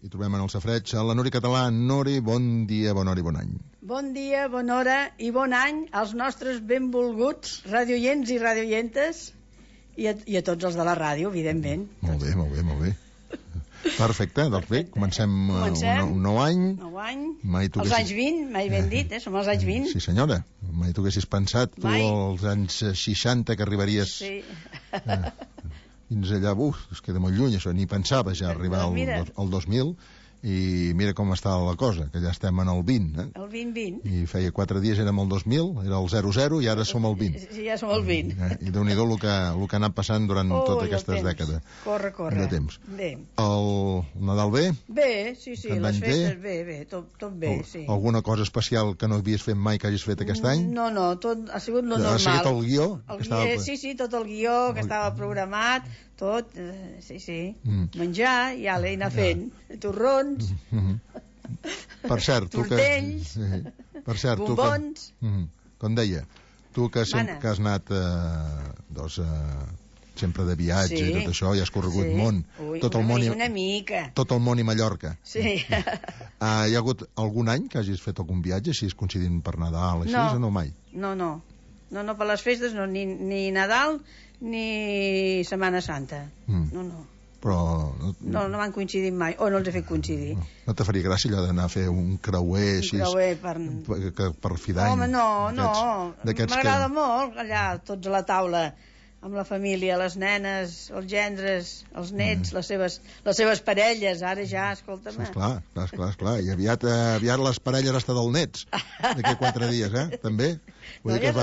I trobem en el safreig a la Nuri Català. Nuri, bon dia, bona hora i bon any. Bon dia, bona hora i bon any als nostres benvolguts radioients i radioientes i a tots els de la ràdio, evidentment. Molt bé, molt bé, molt bé. Perfecte, doncs bé, comencem un nou any. Els anys 20, mai ben dit, som els anys 20. Sí, senyora, mai tu haguessis pensat tu als anys 60 que arribaries... Sí. Fins allà, es queda molt lluny, això, ni pensava ja arribar al 2000, i mira com està la cosa, que ja estem en el 20, El 20. I feia 4 dies érem el 2000, era el 00, i ara som el 20. Sí, ja som el 20. I Déu-n'hi-do el que ha anat passant durant totes aquestes dècades. Corre. De temps. Bé. El Nadal bé? Bé, sí, les festes bé, tot bé, sí. Alguna cosa especial que no havies fet mai que hagis fet aquest any? No, tot ha sigut lo normal. Ha seguit el guió? Sí, tot el guió que estava programat, tot, sí. Menjar, i anar fent torrons, tortells, bombons. Com deia, tu que has anat sempre de viatge i tot això, i has corregut món, tot el món i Mallorca. Sí. Hi ha hagut algun any que hagis fet algun viatge, si és coincidint per Nadal, així, o no mai? No, per les festes no, ni Nadal ni Setmana Santa. No. Però... No m'han coincidit mai, o no els he fet coincidir. No te faria gràcia allò d'anar a fer un creuer així? Per fi d'any? Home, no. M'agrada molt allà, tots a la taula, amb la família, les nenes, els gendres, els nets, les seves parelles. Ara ja, escolta'm. Esclar. I aviat les parelles hasta dels nets, d'aquí 4 dies, també? Eren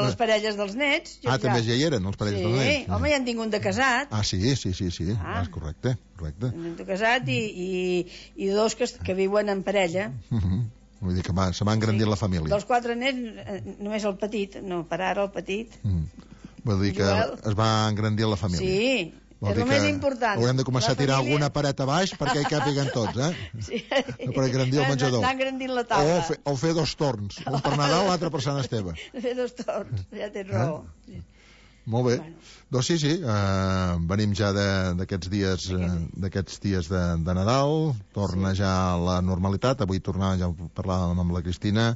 les parelles dels nets. També ja hi eren, els parelles dels nets. Sí, home, ja en tinc un de casat. Sí, és correcte. Un de casat i dos que viuen en parella. Vull dir que se m'ha engrandit la família. Dels 4 nets, només el petit, no, per ara el petit. Vol dir que es va engrandir la família. Sí, és el més important. Haurem de començar a tirar alguna paret a baix perquè hi càpiguen tots, Sí. Per engrandir el menjador. Anar engrandint la taula. O fer 2 torns, un per Nadal, l'altre per Sant Esteve. Fer 2 torns, ja tens raó. Molt bé. Doncs sí, venim ja d'aquests dies de Nadal, torna ja la normalitat. Avui tornàvem, ja parlàvem amb la Cristina,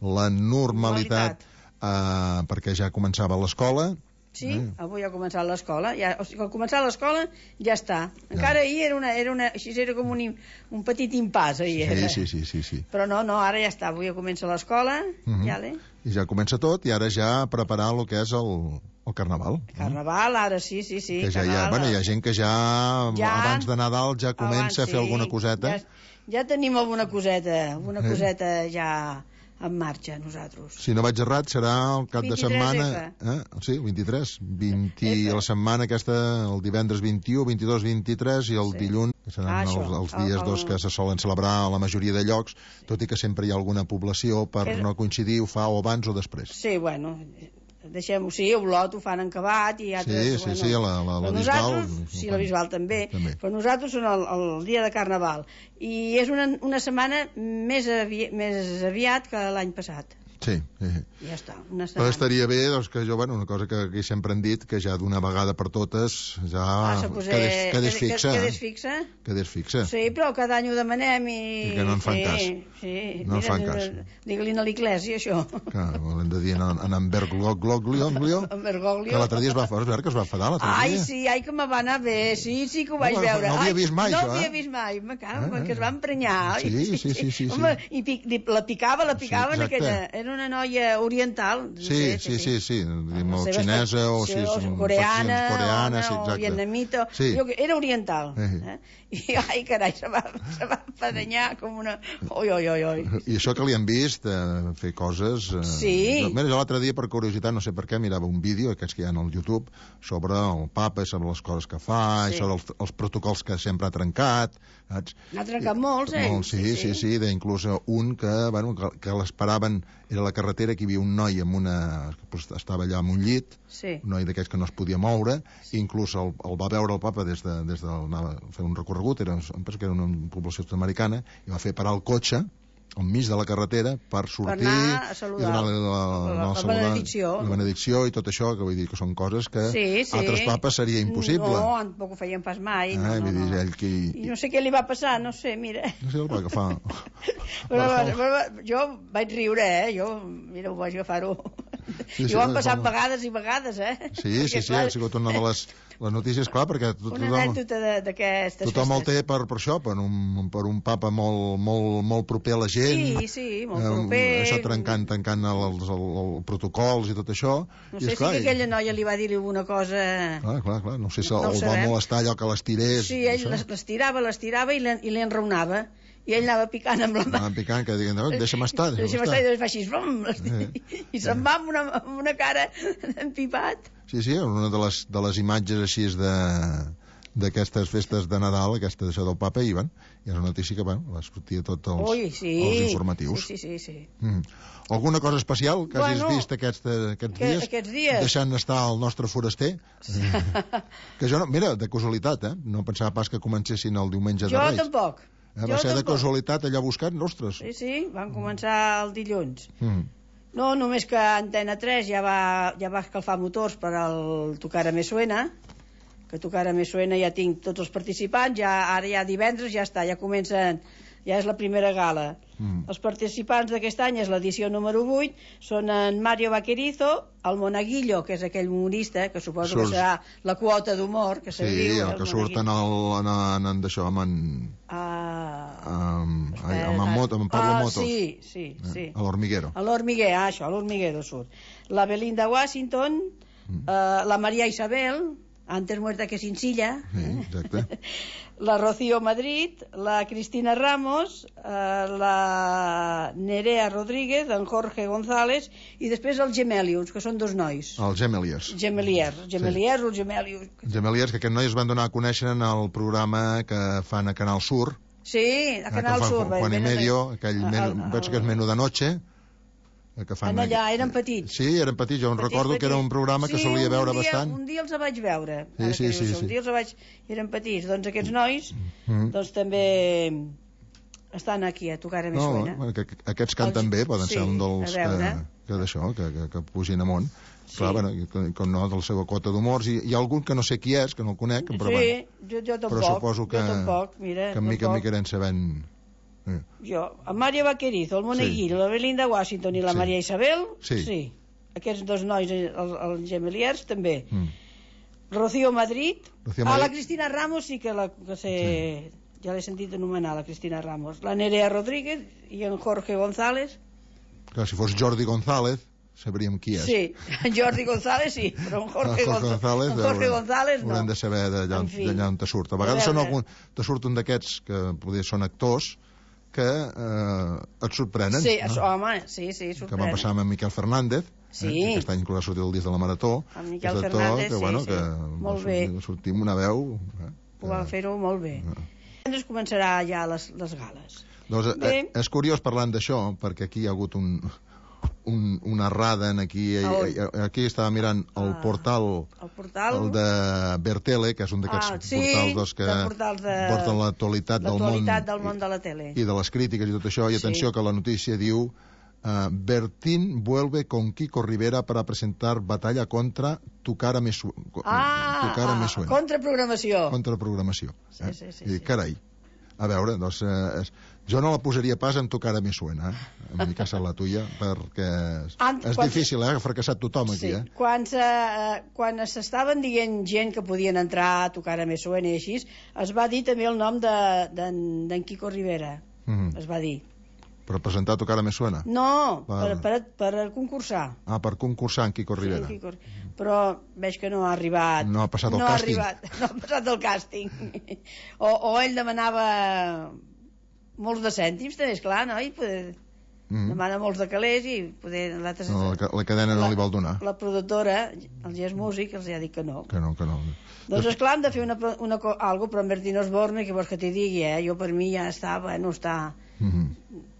la normalitat perquè ja començava l'escola. Sí, avui ha començat l'escola. O sigui, al començar l'escola ja està. Encara ahir era com un petit impàs. Sí. Però no, ara ja està. Avui ja comença l'escola. I ja comença tot, i ara ja preparar el que és el Carnaval. Carnaval, ara sí. Que ja hi ha gent que ja abans de Nadal ja comença a fer alguna coseta. Ja tenim alguna coseta ja en marxa, nosaltres. Si no vaig errat, serà el cap de setmana... Sí, 23. La setmana aquesta, el divendres 21, 22, 23 i el dilluns, que seran els dies que se solen celebrar a la majoria de llocs, tot i que sempre hi ha alguna població per no coincidir, ho fa o abans o després. Sí, bueno... Deixem-ho, Olot ho fan en Cabat i altres... Sí, la Bisbal... Sí, la Bisbal també. Però nosaltres són el dia de Carnaval. I és una setmana més aviat que l'any passat. Sí. Ja està, una setmana. Però estaria bé, que una cosa que aquí sempre hem dit, que ja d'una vegada per totes ja quedés fixa. Sí, però cada any ho demanem i que no en fan cas. No en fan cas. Digue-li a l'Iglésia, això. Hem de dir en Bergoglio, que l'altre dia es va enfadar, Ai, sí, que me va anar bé, sí que ho vaig veure. No havia vist mai, això, No havia vist mai, que es va emprenyar. Sí. Home, i la picava en aquella... Era una noia oriental. Sí. Xinesa o coreana, o vietnamita. Era oriental. I, ai, carai, se va empadanyar com una... Oi. I això que li han vist fer coses... Sí. Mira, jo l'altre dia, per curiositat, no sé per què, mirava un vídeo, aquests que hi ha al YouTube, sobre el papa, sobre les coses que fa, sobre els protocols que sempre ha trencat. N'ha trencat molts, Sí, inclús un que l'esperaven, era la carretera, que hi havia un noi estava allà en un llit, un noi d'aquells que no es podia moure, i inclús el va veure el papa des de anava a fer un recorregut, penso que era una població sud-americana, i va fer parar el cotxe al mig de la carretera per sortir a saludar, i donar la benedicció i tot això, que vull dir que són coses que altres papes seria impossible. No, tampoc ho feien pas mai. I no sé què li va passar, no sé, mira. No sé el va agafar. Però jo vaig riure, mira, ho vaig agafar-ho. I ho han passat vegades i vegades, Sí, ha sigut una de les notícies, clar, perquè una anècdota d'aquestes festes. Tothom el té per això, per un papa molt proper a la gent. Sí, molt proper. Això tancant els protocols i tot això. No sé si aquella noia li va dir alguna cosa... Clar, no sé si el va molestar allò que l'estirés. Sí, ell l'estirava i l'enraonava. I ell anava picant amb la mà. Anava picant, que diguen, deixa'm estar. I després fa així, i se'n va amb una cara empipat. Sí, una de les imatges així d'aquestes festes de Nadal, aquesta d'això del papa, i és una notícia que va sortir a tots els informatius. Sí. Alguna cosa especial que hagis vist aquests dies? Deixant estar el nostre foraster? Que jo, mira, de casualitat, no pensava pas que comencessin el diumenge de Reis. Jo tampoc. Va ser de casualitat allà buscant, ostres. Sí, van començar el dilluns. No, només que Antena 3 ja va escalfar motors per al Tocar Me Suena, que Tocar Me Suena ja tinc tots els participants, ara ja divendres ja està, ja comencen, ja és la primera gala. Els participants d'aquest any és l'edició número 8, són en Mario Vaquerizo, el Monaguillo, que és aquell humorista, que suposo que serà la quota d'humor, que se diu. Sí, el que surt en d'això, amb Pablo Motos. Sí. A l'Hormiguero. A l'Hormiguero surt. La Belinda Washington, la María Isabel, antes muerta que sencilla, exacte. La Rocío Madrid, la Cristina Ramos, la Nerea Rodríguez, en Jorge González, i després els Gemelius, que són dos nois. Els Gemeliers. Gemeliers o Gemelius. Gemeliers, que aquests nois es van donar a conèixer en el programa que fan a Canal Sur. Sí, a Canal Sur. Juan y Medio, penso que és Menú de Noche, que fan allà, eren petits. Sí, eren petits, jo recordo que era un programa que solia veure bastant. Un dia els vaig veure. Sí. Un dia els vaig... Eren petits. Doncs aquests nois doncs també estan aquí a Tocar Me Suena. No, aquests canten bé, poden ser un dels que pugin amunt. Clar, com no, de la seva quota d'humors. Hi ha algun que no sé qui és, que no el conec, però jo tampoc. Però suposo que en mica irem sabent... Jo, en Mario Vaquerizo, el Moneguillo, la Belinda Washington i la Maria Isabel, sí. Aquests dos nois, els Gemeliers, també. Rocío Madrid, la Cristina Ramos sí que ja l'he sentit anomenar, la Cristina Ramos. La Nerea Rodríguez i en Jorge González. Clar, si fos Jordi González, sabríem qui és. Sí, en Jordi González sí, però en Jorge González no. Haurem de saber d'allà on te surt. A vegades te surt un d'aquests que poder són actors que et sorprenen. Sí, home, sí, sorprenen. Que va passar amb en Miquel Fernández, que aquest any inclús ha sortit el disc de la Marató. En Miquel Fernández, que molt bé. Sortir amb una veu... Ho va fer-ho molt bé. Ens començarà ja les gales. Doncs és curiós parlant d'això, perquè aquí hi ha hagut una errada aquí estava mirant el portal el de Bertele, que és un d'aquests portals que porten l'actualitat del món de la tele i de les crítiques i tot això, i atenció que la notícia diu Bertín vuelve con Kiko Rivera para presentar batalla contra Tocar Me Suena. Contraprogramació. Sí. Carai, a veure, doncs jo no la posaria pas en Tocar Me Suena, en mi casa la tuya, perquè és difícil, ha fracassat tothom aquí. Quan s'estaven dient gent que podien entrar a Tocar Me Suena i així, es va dir també el nom d'en Kiko Rivera, es va dir. Per presentar Tocar Me Suena? No, per concursar. Per concursar en Kiko Rivera. Però veig que no ha arribat. No ha passat el càsting. No ha passat el càsting. O ell demanava molts de cèntims, també, esclar, no? I demana molts de calés i la cadena no li vol donar. La productora, el Gés Músic, els ha dit que no. Que no. Doncs esclar, hem de fer algo, però en Bertín Osborne, que vols que t'hi digui, jo per mi ja està,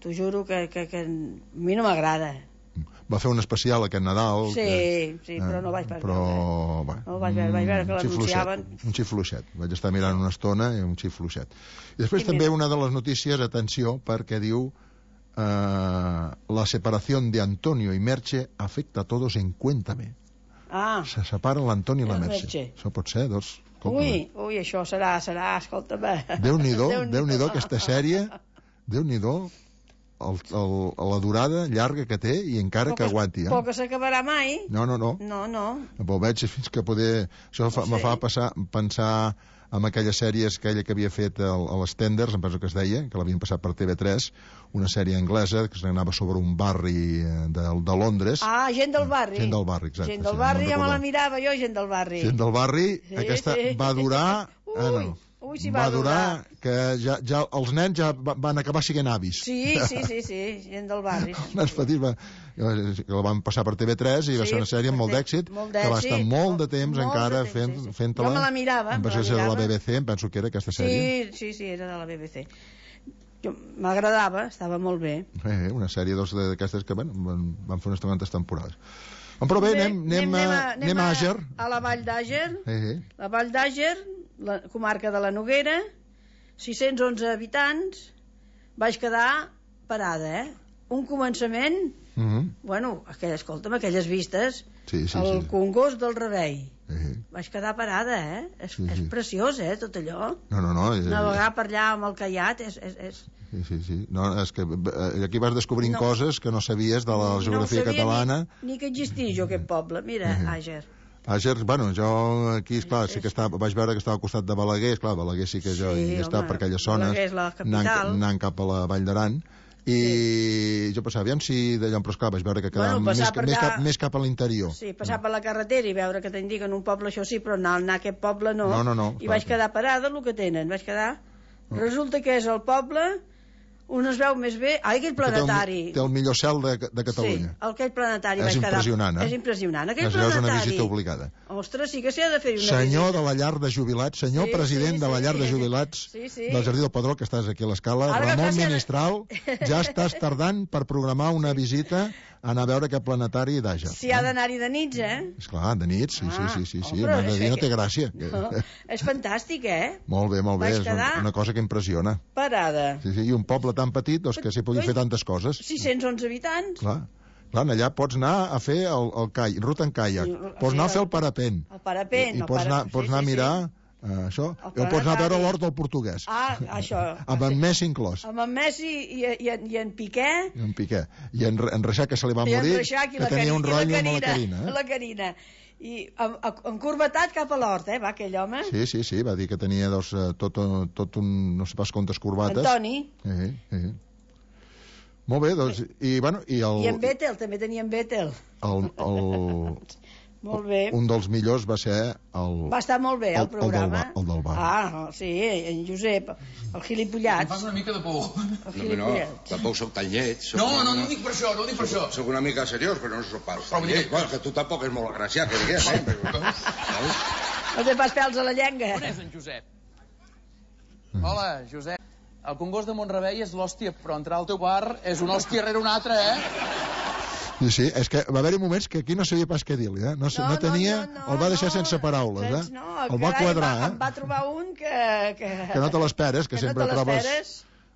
t'ho juro que a mi no m'agrada. Va fer un especial aquest Nadal. Sí, però no vaig veure. No vaig veure que l'anunciaven. Un xifluixet. Vaig estar mirant una estona i un xifluixet. I després també una de les notícies, atenció, perquè diu la separación de Antonio y Merche afecta a todos en Cuéntame. Se separen l'Antoni i la Merche. Això pot ser, doncs... Ui, això serà, escolta'm. Déu-n'hi-do, aquesta sèrie, Déu-n'hi-do, la durada llarga que té i encara que aguanti. Però que s'acabarà mai. No. Però veig fins que poder... Això me fa pensar en aquelles sèries, aquella que havia fet a les Tenders, em penso que es deia, que l'havien passat per TV3, una sèrie anglesa que anava sobre un barri de Londres. Gent del barri. Gent del barri, exacte. Gent del barri, ja me la mirava jo, Gent del barri. Gent del barri, aquesta va durar... Sí, va durar. Que ja els nens ja van acabar sent avis. Sí, gent del barri. Els nens petits la van passar per TV3 i va ser una sèrie amb molt d'èxit, que va estar molt de temps encara fent-la. Jo me la mirava. Em penso que era de la BBC, em penso que era aquesta sèrie. Sí, era de la BBC. M'agradava, estava molt bé. Una sèrie d'aquestes que van fer unes quantes temporades. Però bé, anem a Àger. A la Vall d'Àger. La Vall d'Àger, la comarca de la Noguera, 611 habitants. Vaig quedar parada, Un començament, escolta'm, aquelles vistes, el Congost del Remei. Vaig quedar parada, És preciós, tot allò. No. Navegar per allà amb el caiac és... Sí. No, és que aquí vas descobrint coses que no sabies de la geografia catalana. Ni que existís jo aquest poble. Mira, Àger. Àger, jo aquí, esclar, sí que vaig veure que estava al costat de Balaguer, esclar, Balaguer sí que jo hi estava per aquelles zones, anant cap a la Vall d'Aran, i jo pensava, aviam si d'allò, però esclar, vaig veure que quedava més cap a l'interior. Sí, passar per la carretera i veure que t'indiquen un poble, això sí, però anar a aquest poble no. I vaig quedar parada, el que tenen, resulta que és el poble on es veu més bé... aquell planetari. Té el millor cel de Catalunya. Sí, aquell planetari vaig quedar... És impressionant. Aquell planetari... És una visita obligada. Ostres, sí que s'hi ha de fer una visita. Senyor de la llar de jubilats, president de la llar de jubilats del Jardí del Pedró, que estàs aquí a l'escala, Ramon Ministral, ja estàs tardant per programar una visita a anar a veure aquest planetari d'Àger. Si ha d'anar-hi de nits, Esclar, de nits, sí. De dia no té gràcia. És fantàstic, Molt bé, és una cosa que impressiona. Parada. Sí, i un poble tan petit, que s'hi pugui fer tantes coses. 611 habitants. Clar, allà pots anar a fer el ruta en caiac, pots anar a fer el parapent. El parapent. I pots anar a mirar... això, o pots anar a veure l'hort del portuguès. Això. Amb en Messi inclòs. Amb en Messi i en Piqué. I en Reixac, que se li va morir, que tenia un rotllo amb la Carina. La Carina. I encurvatat cap a l'hort, va, aquell home. Sí, va dir que tenia tot un, no sé pas quantes corbates. Antoni. Molt bé, doncs, i en Vettel, també tenia en Vettel. Molt bé. Un dels millors va ser Va estar molt bé, el programa. El del bar. Sí, en Josep, el gilipollat. Em fas una mica de por. No, tampoc soc tan lleig. No ho dic per això, Soc una mica seriós, però no soc pas tan lleig. Bueno, que tu tampoc és molt agraciat, que diguem, No té pas pèls a la llengua. On és en Josep? Hola, Josep. El Congost de Mont-rebei és l'hòstia, però entrar al teu bar és una hòstia rere una altra, Sí, és que va haver-hi moments que aquí no sabia pas què dir-li, No tenia... El va deixar sense paraules, El va quadrar, Em va trobar un que no te l'esperes, que sempre trobes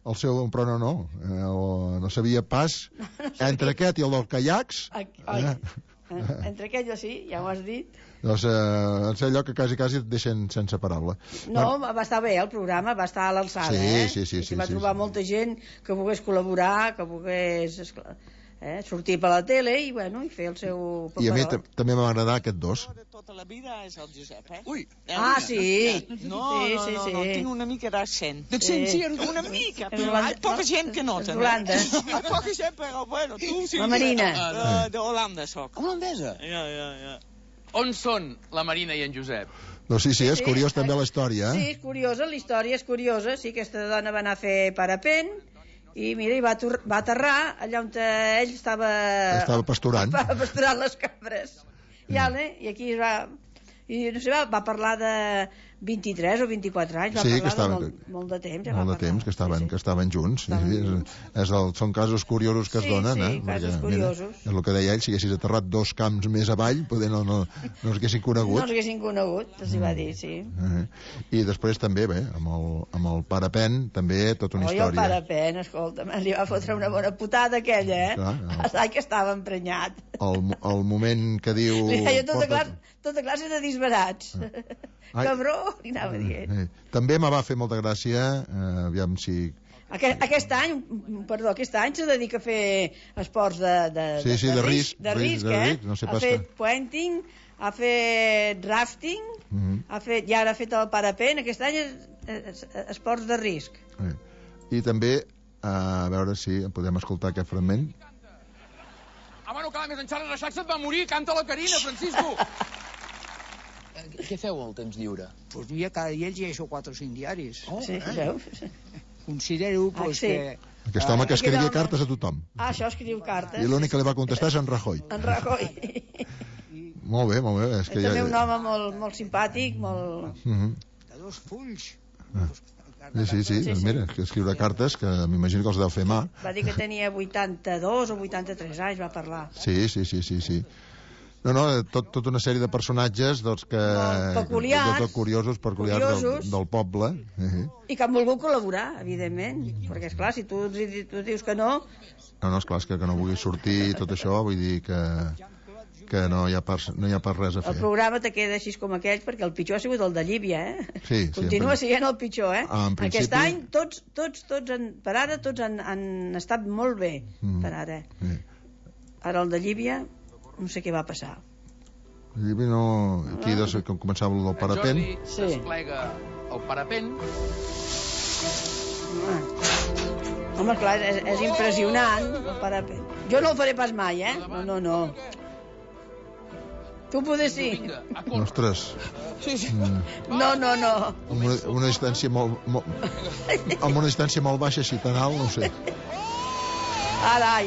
el seu... Però no sabia pas entre aquest i el dels caiacs... Entre aquest i sí, ja ho has dit. Doncs és allò que quasi et deixen sense paraula. No, va estar bé el programa, va estar a l'alçada, Sí. Va trobar molta gent que volgués col·laborar, que volgués... sortir per la tele i fer el seu paperot. I a mi també m'va agradar aquest dos. De tota la vida és el Josep, Ui! Sí! No, tinc una mica d'accent. D'accent, sí, una mica, però hi ha poca gent que nota. D'Holanda. Hi ha poca gent, però bueno, tu sí. La Marina. D'Holanda soc. Holandesa? Ja. On són la Marina i en Josep? Doncs sí, és curiós també la història. Sí, és curiosa, la història és curiosa. Sí, aquesta dona va anar a fer parapent i mira, va aterrar allà on ell estava pasturant les cabres. I aquí va parlar 23 o 24 anys, va parlar de molt de temps. Molt de temps, que estaven junts. Són casos curiosos que es donen. Sí, casos curiosos. És el que deia ell, si haguessis aterrat 2 camps més avall, poder no els haguessin conegut. No els haguessin conegut, els hi va dir, sí. I després també, bé, amb el Parapen, també tota una història. El Parapen, escolta, li va fotre una bona putada aquella, Ai, que estava emprenyat. El moment que diu... Li deia tota classe de disbarats. Cabró, li anava dient. També me va fer molta gràcia, aviam si... Aquest any se dedica a fer esports de risc, no sé pas. Ha fet puenting, ha fet rafting, i ara ha fet el Parapen. Aquest any esports de risc. I també, a veure si podem escoltar aquest fragment. Home, no cal més, en Charles Reixac se't va morir, canta la Carina, Francisco. Què feu al temps lliure? Pues mira, cada dia llegeixo 4 o 5 diaris. Sí, veus? Considero que... Aquest home que escrivia cartes a tothom. Això escriu cartes. I l'únic que li va contestar és en Rajoy. En Rajoy. Molt bé. És que també un home molt simpàtic, molt... De 2 fulls. Sí. Doncs mira, que escriure cartes, que m'imagino que els deu fer mà. Va dir que tenia 82 o 83 anys, va parlar. Sí. No, tota una sèrie de personatges peculiars, curiosos del poble. I que han volgut col·laborar, evidentment, perquè esclar, si tu dius que no... No, esclar, és que no vulgui sortir tot això, vull dir que no hi ha pas res a fer. El programa te queda així com aquells, perquè el pitjor ha sigut el de Llívia, Sí, continua sent el pitjor, Aquest any tots per ara han estat molt bé, per ara. Ara el de Llívia no sé què va passar. Llívia no... Aquí com començava el del Parapen. Jordi desplega el Parapen. Home, clar, és impressionant el Parapen. Jo no ho faré pas mai, No. Tu poder sí. Ostres. No. Amb una distància molt baixa, així tan alt, no sé. Ara.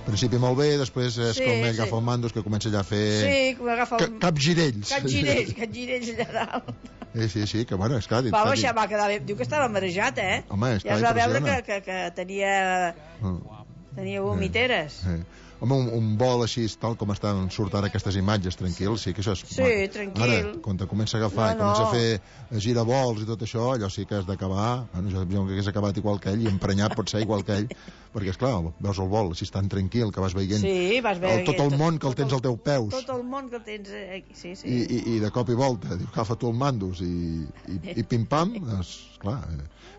Al principi molt bé, després és com agafa el mando, que comença ja a fer... Sí, com agafa el... Capgirells allà dalt. Sí, que bueno, esclar... Va baixar, va quedar bé. Diu que estava marejat, Home, ja es va veure que tenia vomiteres. Home, un vol així, tal com surt ara aquestes imatges, tranquil, sí que això és... Sí, tranquil. Ara, quan te comença a agafar i comença a fer giravols i tot això, allò sí que has d'acabar. Bueno, jo que hagués acabat igual que ell, i emprenyat pot ser igual que ell, perquè, esclar, veus el vol així tan tranquil, que vas veient tot el món que el tens als teus peus. Tot el món que el tens aquí, sí. I de cop i volta, diu, agafa tu el mandos i pim-pam, doncs, clar,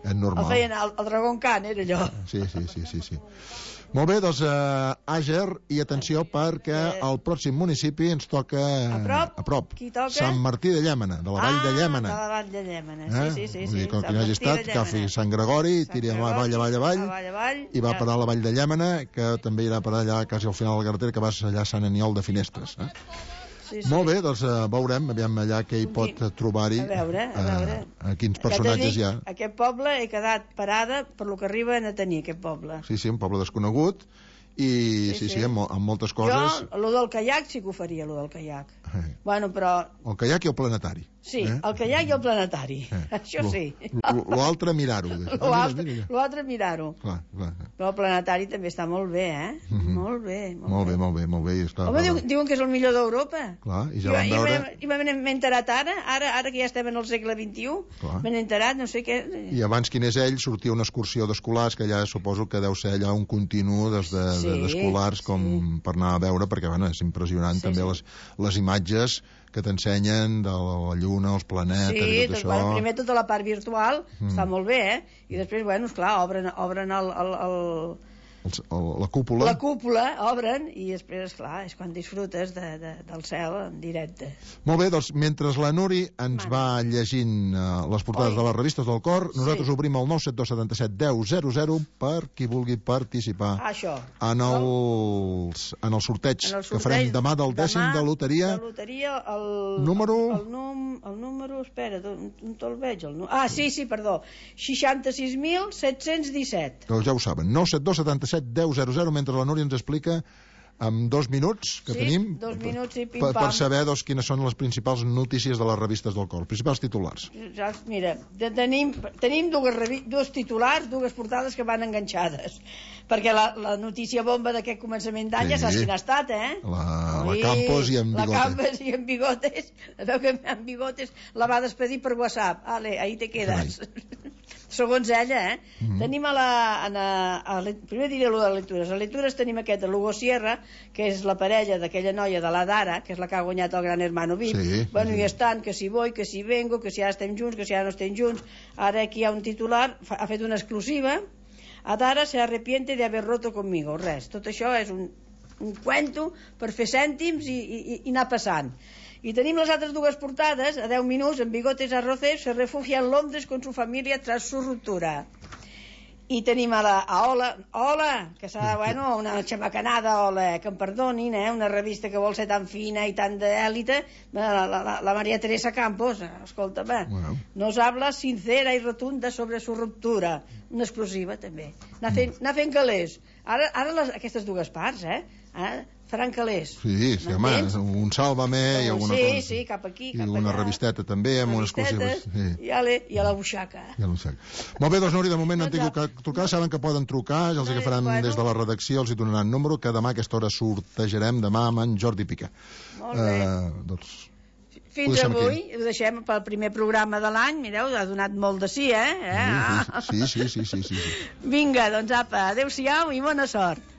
és normal. El feien el Dragon Khan, era allò. Sí. Molt bé, doncs, Àger, i atenció perquè al pròxim municipi ens toca a prop. Qui toca? Sant Martí de Llémena, de la Vall de Llémena. De la Vall de Llémena, sí. Vull dir, quan hagi estat, que agafi Sant Gregori, tiri avall, i va parar a la Vall de Llémena, que també irà a parar allà quasi al final de la carretera, que vas allà a Sant Aniol de Finestres. Molt bé, doncs veurem, aviam allà què hi pot trobar-hi. A veure. Quins personatges hi ha. Aquest poble he quedat parada per lo que arriben a tenir, aquest poble. Sí, un poble desconegut, i amb moltes coses. Jo, allò del caiac sí que ho faria, allò del caiac. Bueno, però... El caiac i el planetari. Sí, el caiac i el planetari. Això sí. L'altre mirar-ho. L'altre mirar-ho. Però el planetari també està molt bé, Molt bé. Molt bé. Home, diuen que és el millor d'Europa. Clar, i ja vam veure... I m'he enterat ara que ja estem en el segle XXI, m'he enterat, no sé què... I abans quin és ell, sortia una excursió d'escolars, que ja suposo que deu ser allà un continu d'escolars com per anar a veure, perquè és impressionant també les imatges que t'ensenyen de la lluna, els planetes i tot això. Primer tota la part virtual està molt bé, i després, esclar, obren la cúpula. La cúpula, obren, i després, esclar, és quan disfrutes del cel en directe. Molt bé, doncs, mentre la Nuri ens va llegint les portades de les revistes del cor, nosaltres obrim el 972771000 per qui vulgui participar en el sorteig que farem demà del 10 de loteria. El número, espera, on te'l veig? Sí, perdó, 66.717. Doncs ja ho saben, 972771000, mentre la Núria ens explica amb 2 minuts que tenim 2 minuts i pim-pam. per saber quines són les principals notícies de les revistes del cor, principals titulars. Mira, tenim dos titulars, dues portades que van enganxades, perquè la notícia bomba d'aquest començament d'any ja saps quina ha estat, la Campos i en Bigotes. La Campos i en Bigotes, veu que en Bigotes la va despedir per WhatsApp. Ale, ahí te quedes. Segons ella, Tenim primer diré allò de lectures. A lectures tenim aquest, l'Hugo Sierra, que és la parella d'aquella noia de la Dara, que és la que ha guanyat el Gran Hermano VIP. I estan, que si voy, que si vengo, que si ara estem junts, que si ara no estem junts. Ara aquí hi ha un titular, ha fet una exclusiva. Adara se arrepiente de haber roto conmigo. Res, tot això és un cuento per fer cèntims i anar passant. I tenim les altres dues portades, a 10 minuts, en Bigotes Arrocés se refugia en Londres con su familia tras su ruptura. I tenim a Ola, que serà, una xamacanada, Ola, que em perdonin, una revista que vol ser tan fina i tan d'èlite, la María Teresa Campos, escolta'm, nos habla sincera i rotunda sobre su ruptura. Una exclusiva, també. Anar fent calés. Ara aquestes dues parts, faran calés. Sí, home, un Sálvame i alguna cosa. Sí, cap aquí, cap allà. I una revisteta també, amb unes exclusives. I a la buixaca. Molt bé, doncs, Núria, de moment no han tingut que trucar, saben que poden trucar, ja els agafaran des de la redacció, els hi donaran número, que demà a aquesta hora sortejarem demà amb en Jordi Pica. Molt bé. Fins avui, ho deixem pel primer programa de l'any, mireu, ha donat molt de sí, Sí. Vinga, doncs apa, adeu-siau i bona sort.